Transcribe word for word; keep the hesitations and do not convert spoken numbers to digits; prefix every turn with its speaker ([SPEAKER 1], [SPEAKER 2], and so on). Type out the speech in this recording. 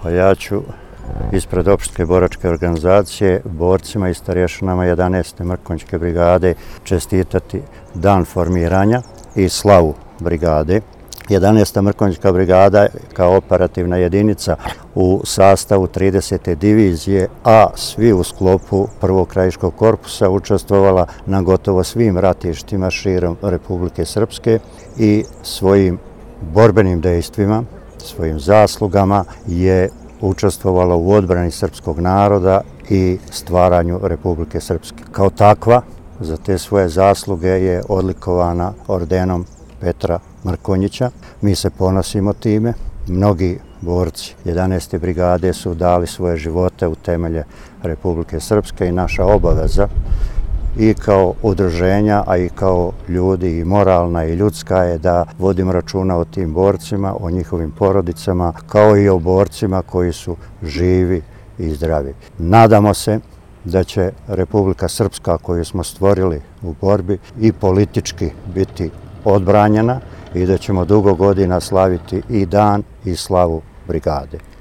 [SPEAKER 1] Pa ja ću ispred Opštinske boračke organizacije borcima i starješanama jedanaeste Mrkonjićke brigade čestitati dan formiranja i slavu brigade. jedanaesta Mrkonjićka brigada kao operativna jedinica u sastavu tridesete divizije, a svi u sklopu prvog krajiškog korpusa učestvovala na gotovo svim ratištima širom Republike Srpske i svojim borbenim dejstvima, svojim zaslugama je učestvovala u odbrani srpskog naroda i stvaranju Republike Srpske. Kao takva, za te svoje zasluge je odlikovana ordenom Petra Mrkonjića. Mi se ponosimo time. Mnogi borci jedanaeste brigade su dali svoje živote u temelje Republike Srpske i naša obaveza i kao udruženja, a i kao ljudi i moralna i ljudska je da vodimo računa o tim borcima, o njihovim porodicama, kao i o borcima koji su živi i zdravi. Nadamo se da će Republika Srpska koju smo stvorili u borbi i politički biti odbranjena i da ćemo dugo godina slaviti i dan i slavu brigade.